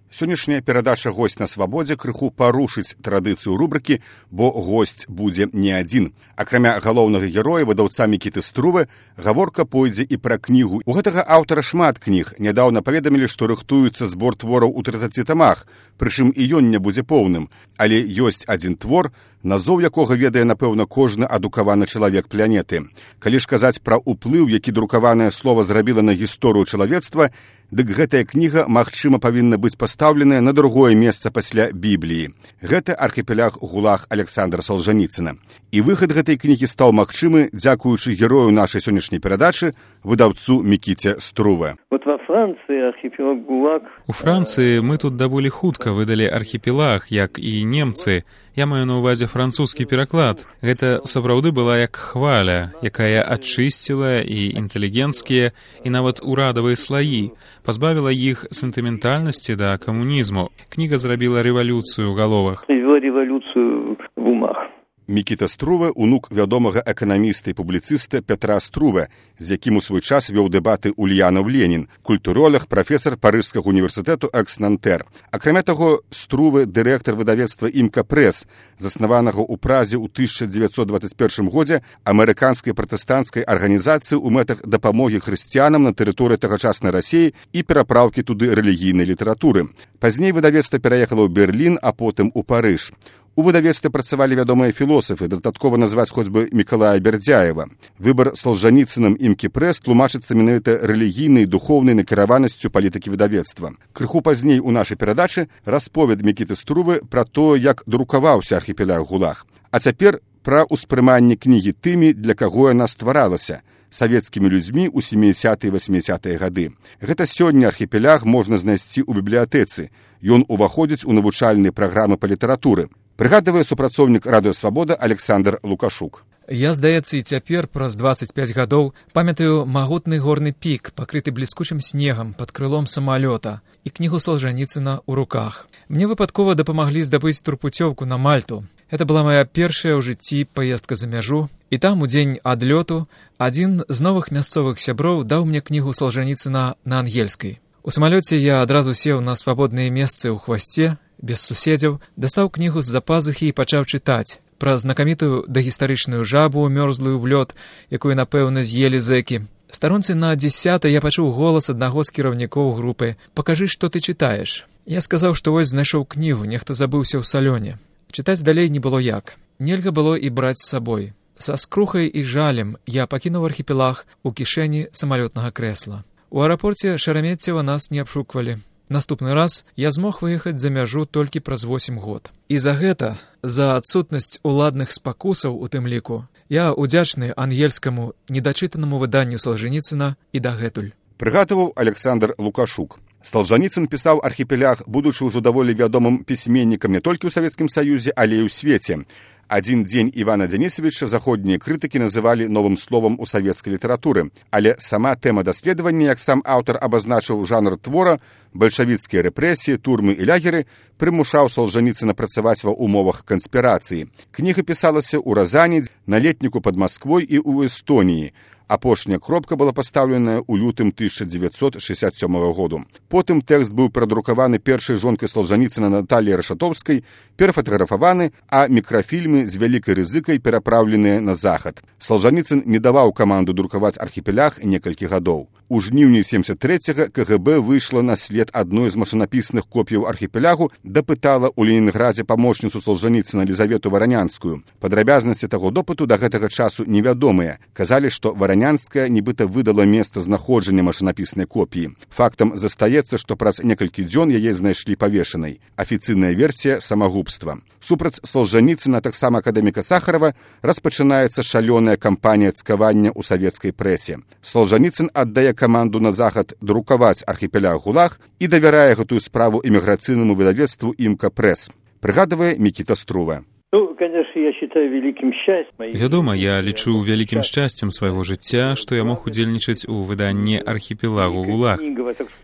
Сённяшняя перадача «Госць на свабодзе» крыху парушыць традыцыю рубрыкі, бо госць будзе не адзін. Акрамя галоўнага героя, выдаўца Мікіты Струве, гаворка пойдзе і пра кнігу. У гэтага аўтара шмат кніг. Нядаўна паведамілі, што рыхтуецца збор твораў у 30 тамах, прычым і ён не будзе поўным. Але ёсць адзін твор, назоў якога ведае, напэўна, кожны адукаваны чалавек планеты. Калі ж казаць пра ўплыў, які друкаванае слова зрабіла на гісторыю чалавецтва, дык гэтая кніга, магчыма, павінна быць пастаўленая на другое месца пасля Бібліі. Гэта архіпеляг ГУЛАГ Александра Солжаніцына. І выхад гэтай кнігі стаў магчымы дзякуючы герою нашай сённяшняй перадачы, выдаўцу Мікіце Струве. У Францыі мы тут даволі хутка выдалі архіпелаг, як і немцы. Я маю на ўвазе французскі пераклад. Гэта сапраўды была як хваля, якая ачысціла і інтэлігенцкія, і нават урадавыя слаі, пазбавіла іх сентыментальнасці да камунізму. Кніга зрабіла рэвалюцыю ў галовах. Рэвалюцыю в умах. Мікіта Струве – унук вядомага эканаміста і публіцыста Петра Струве, з якім у свой час вёў дэбаты Ульянов Ленін, культуролог, прафесар Парыжскага універсітэту экс-Нантэр. Акрамя таго, Струве – дырэктар выдавецтва «Імка Прэс», заснаванага ў Празе ў 1921 годзе амерыканскай пратэстанцкай арганізацыі ў мэтах дапамогі хрысціянам на тэрыторыі тагачаснай Расіі і перапраўкі туды рэлігійнай літаратуры. Пазней выдавецтва пераехала ў Берлін, а потым у Парыж. У выдавецтве працавалі вядомыя філосафы, дастаткова назваць хоць бы Мікалая Бердзяева. Выбар Солжаніцынам «Імкі Прэс» тлумачыцца менавіта рэлігійнай і духоўнай накіраванасцю палітыкі выдавецтва. Крыху пазней у нашай перадачы расповед Мікіты Струве пра тое, як друкаваўся архіпеляг ГУЛАГ. А цяпер пра ўспрыманне кнігі тымі, для каго яна стваралася, савецкімі людзьмі ў 70-е і 80-е гады. Гэта сёння архіпеляг можна знайсці ў бібліятэцы. Ён уваходзіць у навучальныя праграмы па літаратуры. Прыгадвае супрацоўнік Радыё Свабода Александр Лукашук. Я, здаецца, і цяпер праз 25 гадоў памятаю магутны горны пік, пакрыты бліскучым снегам пад крылом самалёта і кнігу Солжаніцына ў руках. Мне выпадкова дапамаглі здабыць турпуцёўку на Мальту. Это была моя першая ў жыцці паездка за мяжу, і там у дзень адлёту адзін з новых мясцовых сяброў даў мне кнігу Солжаніцына на ангельскай. У самалёце я адразу сеў на свабодныя месцы ў хвасце, без суседзяў, дастаў кнігу з-за пазухі і пачаў чытаць пра знакамітую дагістарычную жабу, мёрзлую в лёд, якую, напэўна, з'елі зэкі. Старонцы на 10-й я пачуў голас аднаго з кіраўнікоў групы: «Пакажы, што ты чытаеш». Я сказаў, што вось знайшоў кнігу, нехта забыўся ў салёне. Чытаць далей не было як. Нельга было і браць з сабой. Са скрухай і жалем я пакінуў архіпелаг у кішэні самалётнага крэсла. У аэрапорце Шереметьева нас не абшуквалі. Наступны раз я змог выехаць за мяжу толькі праз 8 год. І за гэта, за адсутнасць уладных спакусаў у тым ліку, я удзячны ангельскаму недачытанаму выданню Солжаніцына і дагэтуль. Прыгадваў Александр Лукашук. Солжаніцын пісаў архіпеляг, будучы ўжо даволі вядомым пісьменнікам не толькі ў Савецкім Саюзе, але і ў свеце. Адзін дзень Івана Дзянісавіча заходнія крытыкі называлі новым словам у савецкай літаратуры, але сама тэма даследавання, як сам аўтар абазначыў жанр твора, бальшавіцкія рэпрэсіі, турмы і лягеры, прымушаў Солжаніцына працаваць ва ўмовах канспірацыі. Кніга пісалася ў Разані, на летніку пад Масквой і ў Эстоніі. Апошняя кропка была пастаўленая ў лютым 1967 году. Потым тэкст быў прадрукаваны першай жонкай Солжаніцына Наталіяй Рашатоўскай, перафатаграфаваны, а мікрафільмы з вялікай рызыкай перапраўленыя на захад. Солжаніцын не даваў каманду друкаваць архіпеляг некалькі гадоў. У жніўні 73-го КГБ выйшла на след адной з машынапісных копіяў архіпелягу, дапытала ў Ленінградзе памочніцу Солжаніцына Лізавету Варанянскую. Падрабязнасці таго допыту да гэтага часу невядомыя. Казалі, што Варанянская нібыта выдала месца знаходжання машынапіснай копіі. Фактам застаецца, што праз некалькі дзён яе знайшлі павешанай. Афіцыйная версія самагубства. Супраць Солжаніцына, таксама акадэміка Сахарова, распачынаецца шалёная кампанія цкавання ў савецкай прэсе. Солжаніцын аддае каманду на захад друкаваць архіпеляг ГУЛАГ і давярае гэтую справу эміграцыйнаму выдавецтву «Імка Прэс». Прыгадвае Мікіта Струве. Вядома, я лічу вялікім шчасцем свайго жыцця, што я мог удзельнічаць у выданні архіпелагу ГУЛАГ.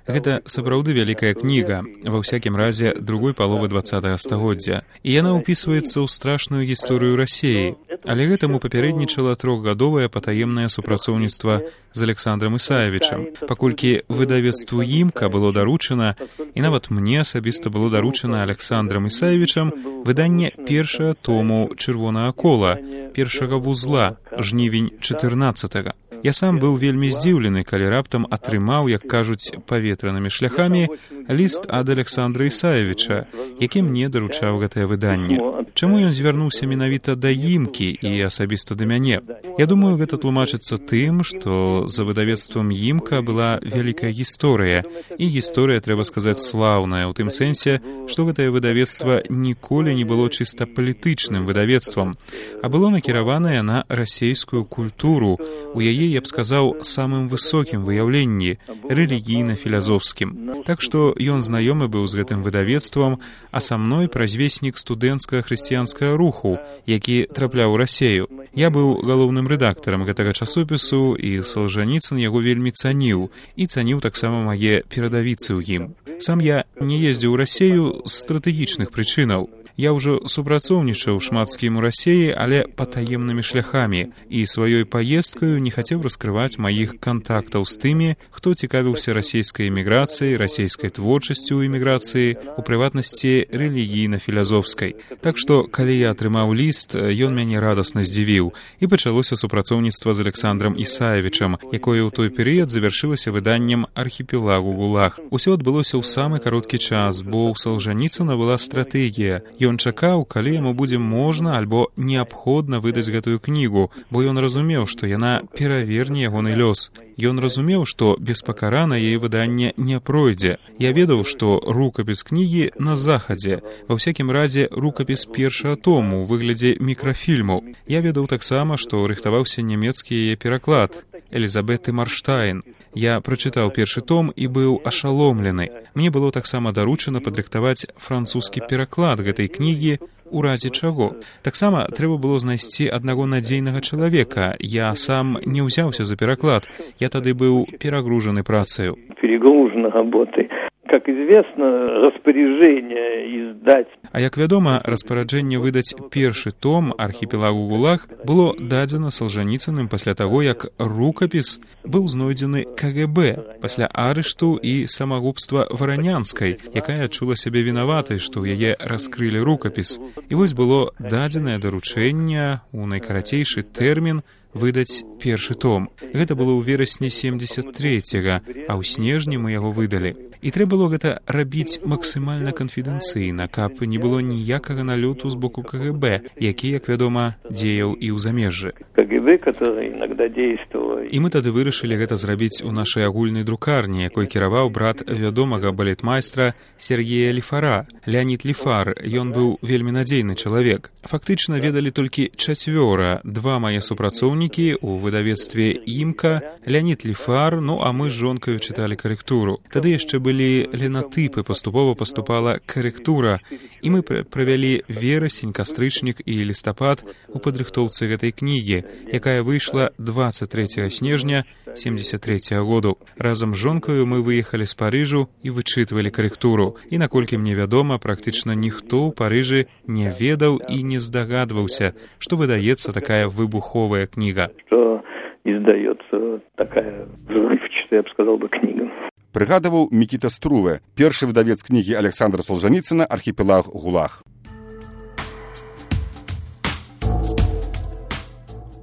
Гэта сапраўды вялікая кніга, ва ўсякім разе другой паловы 20-го стагоддзя, і яна ўпісваецца ў страшную гісторыю Расіі. Але гэтаму папярэднічала трохгадовае патаемнае супрацоўніцтва з Александром Ісаевічам, паколькі выдавецтву «Имка» было даручана, і нават мне асабіста было даручана Александром Ісаевічам выданне першага тому «Чырвонага кола», першага вузла, жнівень 14-го. Я сам быў вельмі здзіўлены, калі раптам атрымаў, як кажуць, паветранымі шляхамі, ліст ад Александра Ісаевіча, які мне даручаў гэтае выданне. Чаму ён звярнуўся менавіта да «Имкі» і асабіста да мяне? Я думаю, гэта тлумачыцца тым, што за выдавецтвам «Имка» была вялікая гісторыя, і гісторыя, трэба сказаць, слаўная, ў тым сэнсе, што гэтае выдавецтва ніколі не было чыста палітычным выдавецтвам, а было накіраванае на расейскую культуру, у яе, я б сказаў, самым высокім выяўленні, рэлігійна-філазофскім. Так што ён знаёмы быў з гэтым выдавецтвам, а са мной празвеснік студэнцкага хрысціянскага руху, які трапляў у Расею. Я быў галоўным рэдактарам гэтага часопісу, і Салжаніцын яго вельмі цаніў, і цаніў таксама мае перадавіцы ў ім. Сам я не ездзіў у Расею з стратэгічных прычынаў. Я ўжо супрацоўнічаў шмат з кім у Расеі, але патаемнымі шляхамі, і сваёй паездкаю не хацеў раскрываць маіх кантактаў з тымі, хто цікавіўся расейскай эміграцыяй, расейскай творчасцю ў эміграцыі, у прыватнасці рэлігійна-філазофскай. Так што, калі я атрымаў ліст, ён мяне радасна здзівіў, і пачалося супрацоўніцтва з Александром Ісаевічам, якое ў той перыяд завяршылася выданнем «Архіпелагу ГУЛАГ». Усё адбылося ў самы кароткі час, бо ў Салжаніцына была стратэгія. Ён чакаў, калі яму будзе можна альбо неабходна выдаць гэтую кнігу, бо ён разумеў, што яна пераверне ягоны лёс. Ён разумеў, што беспакарана яе выданне не пройдзе. Я ведаў, што рукапіс кнігі на захадзе, ва ўсякім разе рукапіс першага тому ў выглядзе мікрафільму. Я ведаў таксама, што рыхтаваўся нямецкі яе пераклад Элізабеты Марштайн. Я прачытаў першы том і быў ашаломлены. Мне было таксама даручана падрыхтаваць французскі пераклад гэтай кнігі, у разе чаго. Таксама трэба было знайсці аднаго надзейнага чалавека. Я сам не ўзяўся за пераклад. Я тады быў перагружаны працаю. Перегружена работой. Как известно, распоряжение издать. А як вядома, распараджэнне выдаць першы том «Архіпелагу ГУЛАГ» было дадзена Салжаніцыным пасля таго, як рукапіс быў знойдзены КГБ, пасля арышту і самагубства Варанянскай, якая адчула сябе вінаватай, што ў яе раскрылі рукапіс. І вось было дадзенае даручэнне ў найкарацейшы тэрмін выдаць першы том. Гэта было ў верасні 73-го, а ў снежні мы яго выдалі. І трэба было гэта рабіць максімальна канфідэнцыйна, каб не было ніякага налёту з боку КГБ, які, як вядома, дзеяў і ў замежжы. КГБ, который иногда действовал. І мы тады вырашылі гэта зрабіць у нашай агульнай друкарні, якой кіраваў брат вядомага балетмайстра Сергея Лифара, Леонид Лифар. Ён быў вельмі надзейны чалавек. Фактычна ведалі толькі чацвёра, два мае супрацоўнікі ў выдавецтве «Имка», Леонид Лифар, ну а мы з жонкаю чыталі карэктуру. Тады яшчэ былі ленатыпы, паступова паступала карэктура, і мы правялі верасень, кастрычнік і лістапад у падрыхтоўцы гэтай кнігі, якая выйшла 23 снежня 73-го году. Разам з жонкаю мы выехалі з Парыжу і вычытвалі карэктуру. І, наколькі мне вядома, практычна ніхто ў Парыжы не ведаў і не здагадваўся, што выдаецца такая выбуховая кніга. Что издается такая взрывчатая, я бы сказал бы, книга. Прыгадываў Мікіта Струве, першы выдавец кнігі Александра Солжаніцына «Архіпелаг ГУЛАГ».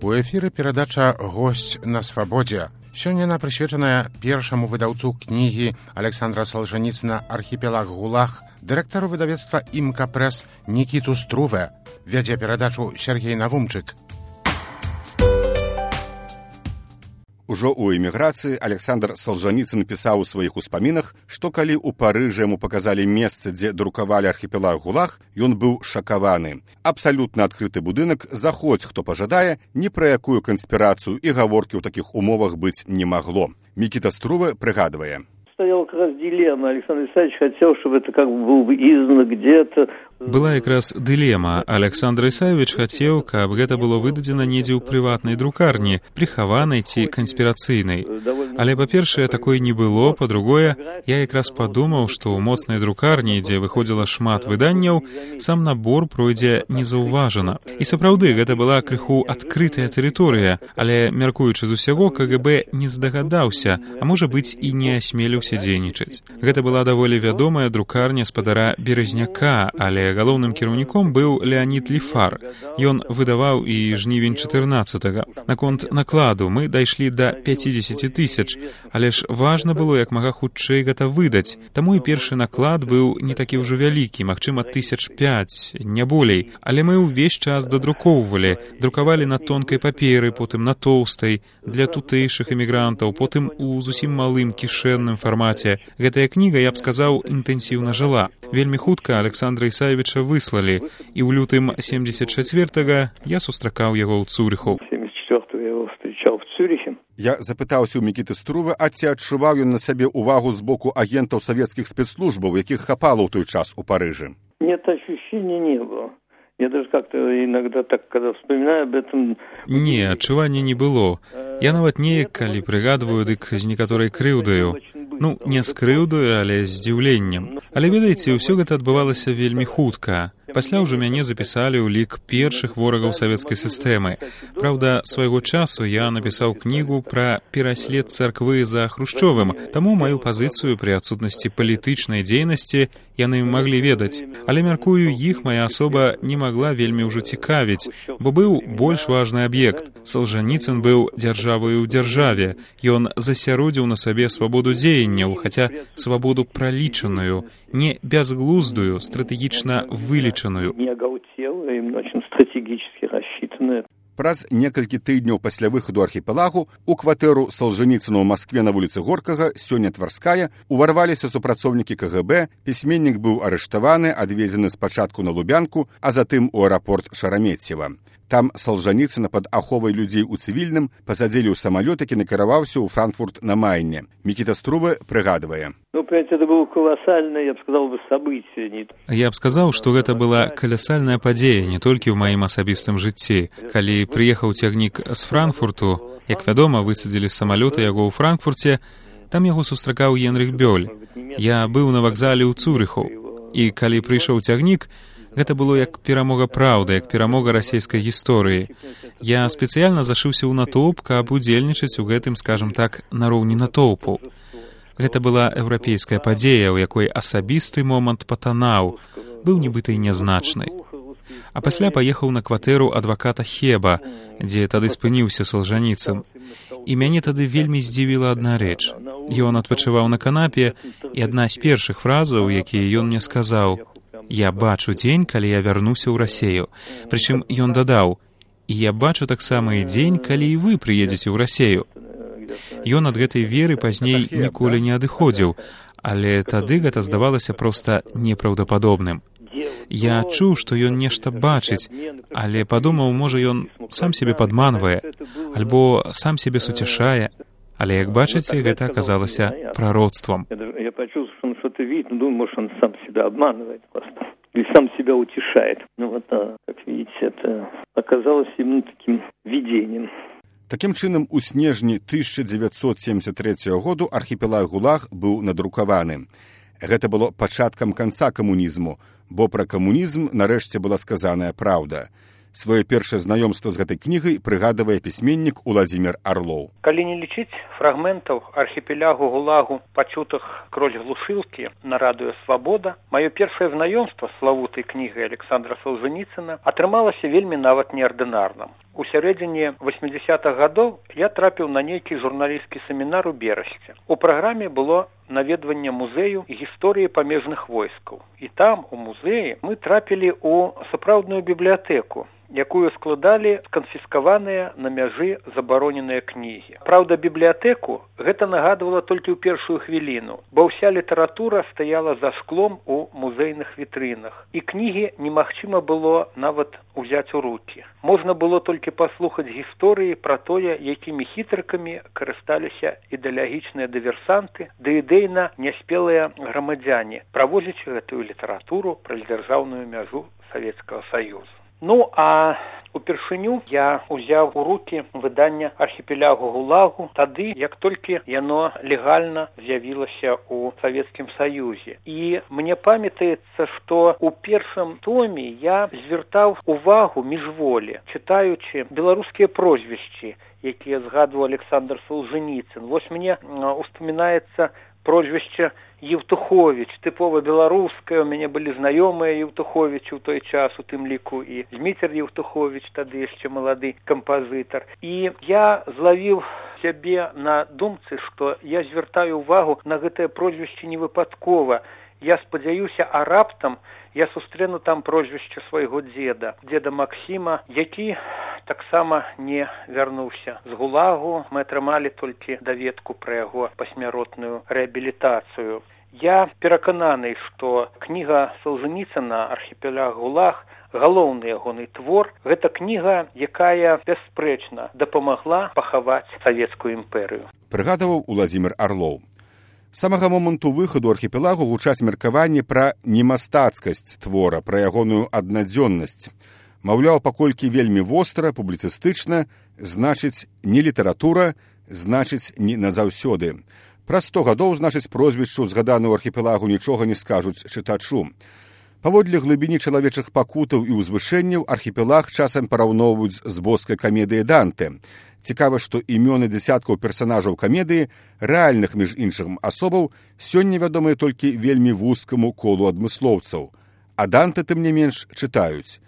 У эфіры перадача «Госць на свабодзе». Сёння яна прысвечаная першаму выдаўцу кнігі Александра Солжаніцына «Архіпелаг ГУЛАГ», дырэктару выдавецтва «Имка Прэс» Нікіту Струве. Вядзе перадачу Сергей Навумчык. Ужо ў эміграцыі Александр Солжаніцын пісаў у сваіх успамінах, што калі ў Парыжы яму паказалі месцы, дзе друкавалі «Архіпелаг ГУЛАГ», ён быў шакаваны. Абсалютна адкрыты будынак, заходзь, хто пажадае, ні пра якую канспірацыю і гаворкі ў такіх умовах быць не магло. Мікіта Струве прыгадвае. Стоял как раз дилемма. Александр Исаевич хотел, чтобы это как бы было бы издано где-то. Была якраз дылема. Александр Ісаевич хацеў, каб гэта было выдадзена недзе ў прыватнай друкарні, прыхаванай ці канспірацыйнай. Але, па-першае, такой не было, па-другое, я якраз падумаў, што ў моцнай друкарні, дзе выходзіла шмат выданняў, сам набор пройдзе незаўважана. І сапраўды, гэта была крыху адкрытая тэрыторыя, але, мяркуючы з усяго, КГБ не здагадаўся, а можа быць і не асмеліўся дзейнічаць. Гэта была даволі вядомая друкарня спадара Березняка, але галоўным кіраўніком быў Леонид Лифар. Ён выдаваў і жнівень 14-го. Наконт накладу мы дайшлі да 50 000, але ж важна было як мага хутчэй гэта выдаць. Таму і першы наклад быў не такі ўжо вялікі, магчыма, 5,000, не болей. Але мы ўвесь час дадрукоўвалі. Друкавалі на тонкай паперы, потым на тоўстай, для тутэйшых эмігрантаў, потым у зусім малым кішэнным фармаце. Гэтая кніга, я б сказаў, інтэнсіўна жыла. Вельмі хутка Александра Ісаевича выслалі, і ў лютым 74-го я сустракаў яго ў Цюриху. 74-го я его встречал в Цюрихе. Я запытаўся ў Мікіты Струва, а ці адчуваў ён на сабе увагу з боку агентаў савецкіх спецслужбаў, якіх хапала ў той час у Парыжы? Нет, ощущения не было. Я даже как-то иногда так, когда вспоминаю об этом... Не, адчування не было. Я нават неяк, калі прыгадваю, дык з некаторай крыўдаю. Ну, не з крыўдаю, але з здзіўленнем. Але, ведаеце, ўсё гэта адбывалася вельмі хутка. Пасля ўжо мяне запісалі ў лік першых ворагаў савецкай сістэмы. Праўда, свайго часу я напісаў кнігу пра пераслед царквы за Хрушчовым, таму маю пазіцыю пры адсутнасці палітычнай дзейнасці яны маглі ведаць. Але, мяркую, іх мая асоба не магла вельмі ўжо цікавіць, бо быў больш важны аб'ект. Солжаніцын быў дзяржавою ў дзяржаве. Ён засяродзіў на сабе свабоду дзеянняў, хаця свабоду пралічаную, не бязглуздую, стратэгічна вылічаную. Не агаўцелая, і очень стратэгічна рассчитаная. Праз некалькі тыдняў пасля выхаду архіпелагу у кватэру Солжаніцына ў Маскве на вуліцы Горкага, сёння Тварская, уварваліся супрацоўнікі КГБ, пісьменнік быў арыштаваны, адвезены спачатку на Лубянку, а затым у аэрапорт Шараметьева. Там Солжаніцына пад аховай людзей у цывільным пасадзілі ў самалёт, які накіраваўся ў Франкфурт на Майне. Мікіта Струва прыгадвае. Ну, понимаете, это было колоссальное, я бы сказал, событие. Я б сказаў, што гэта была каласальная падзея не толькі ў маім асабістым жыцці. Калі прыехаў цягнік з Франкфурту, як вядома, высадзілі з самалёта яго ў Франкфурце, там яго сустракаў Генрых Бёль. Я быў на вакзале ў Цюриху, і калі прыйшоў цягнік, гэта было як перамога праўды, як перамога расійскай гісторыі. Я спецыяльна зашыўся ў натоўп, каб удзельнічаць у гэтым, скажам так, нароўні натоўпу. Гэта была еўрапейская падзея, у якой асабісты момант патанаў, быў нібыта і нязначны. А пасля паехаў на кватэру адваката Хеба, дзе тады спыніўся Солжаніцын. І мяне тады вельмі здзівіла адна рэч. Ён адпачываў на канапе, і адна з першых фразаў, якія ён мне сказаў: «Я бачу дзень, калі я вярнуся ў Расею». Прычым ён дадаў: «І я бачу таксама і дзень, калі і вы прыедзеце ў Расею». Ён ад гэтай веры пазней ніколі не адыходзіў, але тады гэта здавалася проста непраўдападобным. Я чуў, што ён нешта бачыць, але падумаў, можа, ён сам сябе падманвае, альбо сам сябе суцяшае. Але, як бачыце, гэта аказалася прароцтвом. Я почувствовал, что он что-то видит, но думаю, может, он сам себя обманывает просто. Или сам себя утешает. Ну вот, как видите, это оказалось именно таким видением. Такім чынам, у снежні 1973 году архіпелаг ГУЛАГ быў надрукаваны. Гэта было пачаткам канца камунізму, бо пра камунізм нарэшце была сказаная праўда. Свое першае знаёмства з гэтай кнігай прыгадвае пісьменнік Уладзімір Арлоў. Калі не лічыць фрагментаў архіпелягу ГУЛАГу, пачутых кроль глушылкі на радыё «Свабода», маё першае знаёмства з славутай кнігай Александра Солжаніцына атрымалася вельмі нават неардынарным. У сярэдзіне 80-х гадоў я трапіў на нейкі журналісцкі семінар у Берасці. У праграме было наведванне музею гісторыі памежных войскаў. І там, у музеі, мы трапілі ў сапраўдную бібліятэку. якую складалі сканфіскаваныя на мяжы забароненыя кнігі. Праўда, бібліятэку гэта нагадвала толькі ў першую хвіліну, бо ўся літаратура стаяла за шклом у музейных вітрынах, і кнігі немагчыма было нават узяць у рукі. Можна было толькі паслухаць гісторыі пра тое, якімі хітрыкамі карысталіся ідэалагічныя дыверсанты ды ідэйна няспелыя грамадзяне, правозячы гэтую літаратуру праз дзяржаўную мяжу Савецкага Саюзу. Ну, а упершыню я ўзяў у рукі выданне архіпелягу ГУЛАГу тады, як толькі яно легальна з'явілася ў Савецкім Саюзе. І мне памятаецца, што ў першым томе я звяртаў увагу міжволі, чытаючы беларускія прозвішчы, якія згадваў Александр Солженіцын. Вось мне успамінаецца прозвішча Евтухович, тыпова беларускае, у мяне былі знаёмыя Евтуховичы ў той час, у тым ліку і Зміцер Евтухович, тады яшчэ малады кампазітар. І я злавіў сябе на думцы, што я звяртаю ўвагу на гэтае прозвішча невыпадкова. Я спадзяюся, а раптам я сустрэну там прозвішча свайго дзеда Максіма, які таксама не вярнуўся з ГУЛАГу. Мы атрымалі толькі даведку пра яго пасмяротную рэабілітацыю. Я перакананы, што кніга Солженіцына «Архіпеляг ГУЛАГ» галоўны ягоны твор. Гэта кніга, якая бясспрэчна дапамагла пахаваць савецкую імперыю. Прыгадаваў Уладзімір Арлоў. З самага моманту выхаду архіпелагу гучаць меркаванні пра немастацкасць твора, пра ягоную аднадзённасць. Маўляў, паколькі вельмі востра, публіцыстычна, значыць, не літаратура, значыць, не назаўсёды. Праз 100 гадоў, значыць, прозвішчу, згаданую ў архіпелагу, нічога не скажуць чытачу. Паводле глыбіні чалавечых пакутаў і ўзвышэнняў архіпелаг часам параўноўваюць з боскай камедыяй Данте. Цікава, што імёны дзясяткаў персанажаў камедыі, рэальных, між іншым, асобаў, сёння вядомыя толькі вельмі вузкаму колу адмыслоўцаў. А Данте, тым не менш, чытаюць.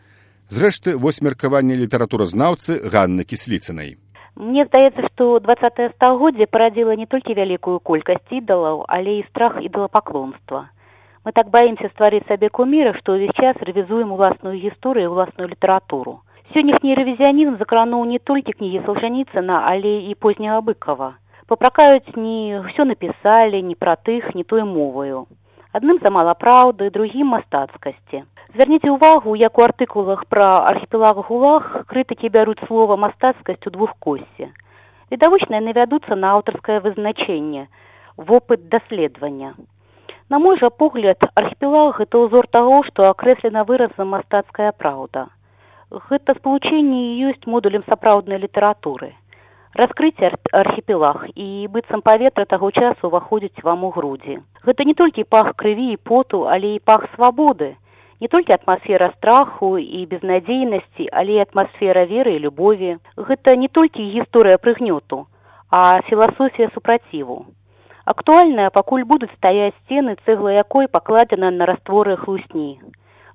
Зрэшты, вось меркаванне літаратуразнаўцы Ганны Кісліцынай. Мне здаецца, што 20-е стагоддзе парадзіла не толькі вялікую колькасць ідалаў, але і страх ідалапаклонства. Мы так баімся стварыць сабе куміра, што ўвесь час рэвізуем уласную гісторыю і уласную літаратуру. Сённяшні рэвізіянізм закрануў не толькі кнігі Солженіцына, але і позняга Быкова. Папракаюць не ўсё напісалі, не пра тых, не той моваю. Адным замала праўды, другім мастацкасці. Звярніце ўвагу, як у артыкулах пра архіпелаг ГУЛАГ крытыкі бяруць слова «мастацкасць» у двухкосці. Відавочна, яны вядуцца на аўтарскае вызначэнне, вопыт даследавання. На мой жа погляд, архіпелаг – гэта ўзор таго, што акрэслена выразам «мастацкая праўда». Гэта спалучэнне і ёсць модулем сапраўднай літаратуры. Раскрыць архіпелаг і быццам паветра таго часу ўваходзіць вам у грудзі. Гэта не толькі пах крыві і поту, але і пах свабоды. Не толькі атмасфера страху і безнадзейнасці, але і атмасфера веры і любові. Гэта не толькі гісторыя прыгнёту, а філасофія супраціву. Актуальная, пакуль будуць стаяць сцены, цэгла якой пакладзена на растворы хлусні.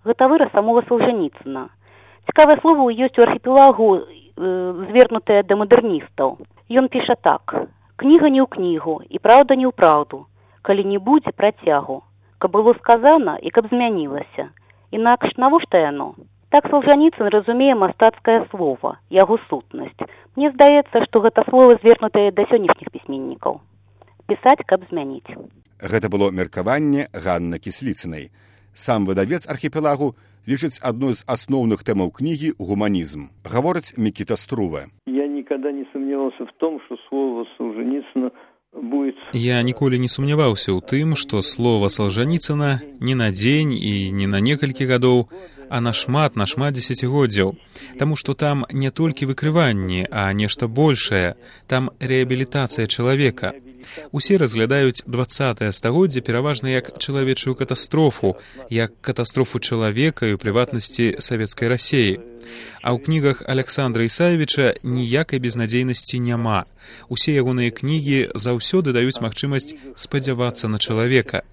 Гэта выраз самога Солженіцына. Цікавае слова ёсць у архіпелагу, звернутае да мадэрністаў. Ён піша так: «Кніга не ў кнігу, і праўда не ў праўду, калі не будзе працягу, каб было сказана і каб змянілася. Інакш навошта яно?» Так Солженіцын разумее мастацкае слова, яго сутнасць. Мне здаецца, што гэта слова звернутае да сённяшніх пісьменнікаў. Пісаць, каб змяніць. Гэта было меркаванне Ганны Кісліцынай. Сам выдавец архіпелагу лічыць адной з асноўных тэмаў кнігі гуманізм. Гаворыць Мікіта Струве. Я никогда не сомневался в том, что слово Солженіцына будет... Я ніколі не сумняваўся ў тым, што слова Солженіцына не на дзень і не на некалькі гадоў, а на шмат дзесяцігоддзяў. Таму што там не толькі выкрыванні, а нешта большае. Там рэабілітацыя чалавека. Усе разглядаюць 20-е стагоддзе пераважна як чалавечую катастрофу, як катастрофу чалавека і ў прыватнасці савецкай Расіі. А ў кнігах Аляксандра Ісаевіча ніякай безнадзейнасці няма. Усе ягоныя кнігі заўсёды даюць магчымасць спадзявацца на чалавека.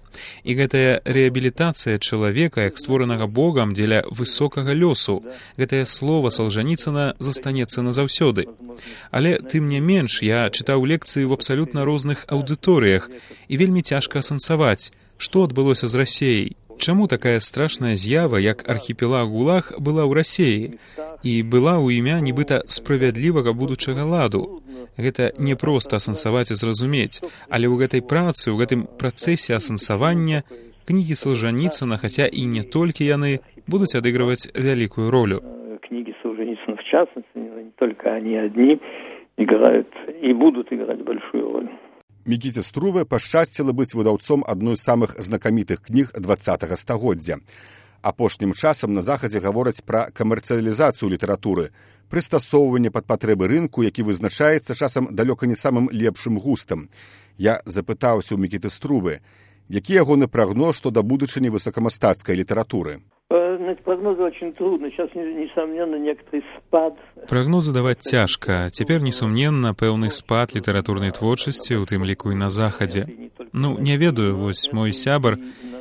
І гэтая рэабілітацыя чалавека, як створанага Богам дзеля высокага лёсу, гэтае слова Солженіцына застанецца назаўсёды. Але, тым не менш, я чытаў лекцыі ў абсалютна розных аўдыторыях, і вельмі цяжка асэнсаваць, што адбылося з Расіяй. Чаму такая страшная з'ява, як архіпелаг ГУЛАГ, была ў Расіі? І была ў імя нібыта справядлівага будучага ладу. Гэта не проста асэнсаваць і зразумець, але ў гэтай працы, ў гэтым працэсе асэнсавання кнігі Солженіцына, хаця і не толькі яны, будуць адыгрываць вялікую ролю. Книги Солженицына, в частности, не только они одни, играют и будут играть большую роль. Мікіце Струве пашчасціла быць выдаўцом адной з самых знакамітых кніг 20-го стагоддзя. Апошнім часам на Захадзе гавораць пра камерцыялізацыю літаратуры, прыстасоўванне пад патрэбы рынку, які вызначаецца часам далёка не самым лепшым густам. Я запытаўся ў Мікіты Струве, які ягоны прагноз што да будучыні высокамастацкай літаратуры. Прогнозы очень трудно. Сейчас, несомненно, некоторый спад. Прагнозы даваць цяжка. Цяпер, несумненна, пэўны спад літаратурнай творчасці, у тым ліку і на Захадзе. Ну, не ведаю, вось мой сябар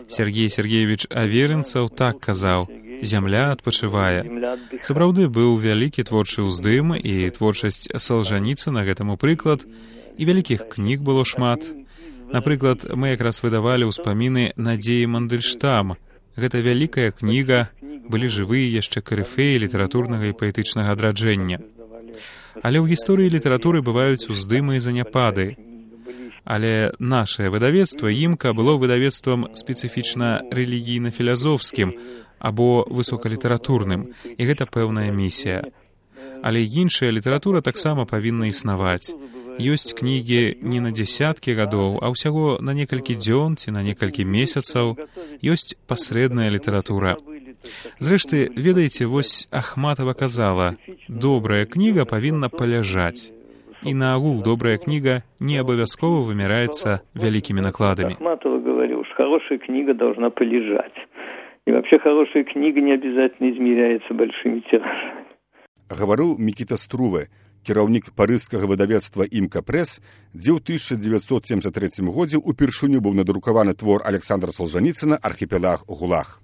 Сергей Сергеевич Аверинцаў так казаў: «Зямля адпачывае». Сапраўды быў вялікі творчы ўздым, і творчасць Солженіцына гэтаму прыклад, і вялікіх кніг было шмат. Напрыклад, мы якраз выдавалі ўспаміны Надзеі Мандельштам. Гэта вялікая кніга, былі жывыя яшчэ карыфеі літаратурнага і паэтычнага адраджэння. Але ў гісторыі літаратуры бываюць уздымы і заняпады. Але нашае выдавецтва «Імка» было выдавецтвам спецыфічна рэлігійна-філазофскім або высокалітаратурным, і гэта пэўная місія. Але іншая літаратура таксама павінна існаваць. Ёсць кнігі не на дзесяткі гадоў, а ўсяго на некалькі дзён ці на некалькі месяцаў. Ёсць пасрэдная літаратура. Зрэшты, ведаеце, вось Ахматова казала: «Добрая кніга павінна паляжаць». И наогул добрая книга не обовязково вымирается великими накладами. Ахматова говорил, что хорошая книга должна полежать. И вообще хорошая книга не обязательно измеряется большими тиражами. Говорил Мікіта Струве, кіраўнік парыжскага выдавецтва «Імка Прэс», дзе ў 1973 годзе ўпершыню быў надрукаваны твор Александра Солженіцына «Архіпелаг ГУЛАГ».